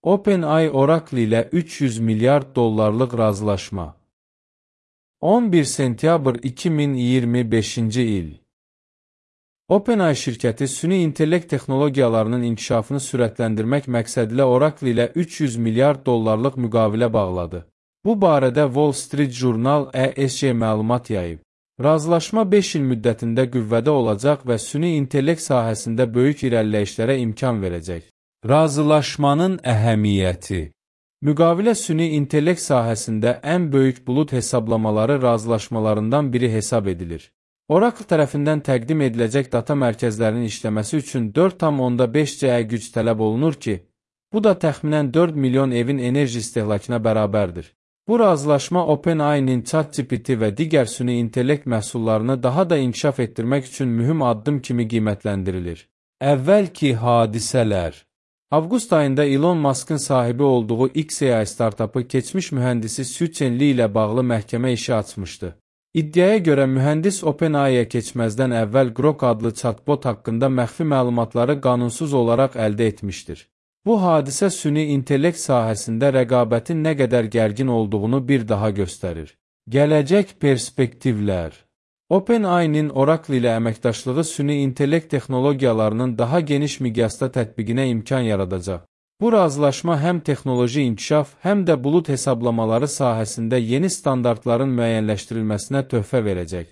OpenAI Oracle ilə 300 milyard dollarlıq razılaşma. 11 sentyabr 2025-ci il. OpenAI şirkəti süni intellekt texnologiyalarının inkişafını sürətləndirmək məqsədilə Oracle ilə 300 milyard dollarlıq müqavilə bağladı. Bu barədə Wall Street Journal ESG məlumat yayıb. Razılaşma 5 il müddətində qüvvədə olacaq və süni intellekt sahəsində böyük irəliləyişlərə imkan verəcək. Razılaşmanın əhəmiyyəti. Müqavilə süni intellekt sahəsində ən böyük bulud hesablamaları razılaşmalarından biri hesab edilir. Oracle tərəfindən təqdim ediləcək data mərkəzlərinin işləməsi üçün 4,5 CE güc tələb olunur ki, bu da təxminən 4 milyon evin enerji istehlakına bərabərdir. Bu razılaşma OpenAI-nin ChatGPT və digər süni intellekt məhsullarını daha da inkişaf etdirmək üçün mühüm addım kimi qiymətləndirilir. Əvvəlki hadisələr. Avqust ayında Elon Musk'ın sahibi olduğu XAI startapı keçmiş mühəndisi Su-Chen Li ilə bağlı məhkəmə işi açmışdı. İddiaya görə mühəndis OpenAI-yə keçməzdən əvvəl Grok adlı chatbot haqqında məxfi məlumatları qanunsuz olaraq əldə etmişdir. Bu hadisə süni intellekt sahəsində rəqabətin nə qədər gərgin olduğunu bir daha göstərir. Gələcək perspektivlər. OpenAI-nin Oracle ilə əməkdaşlığı süni intellekt texnologiyalarının daha geniş miqyasda tətbiqinə imkan yaradacaq. Bu razılaşma həm texnoloji inkişaf, həm də bulud hesablamaları sahəsində yeni standartların müəyyənləşdirilməsinə töhfə verəcək.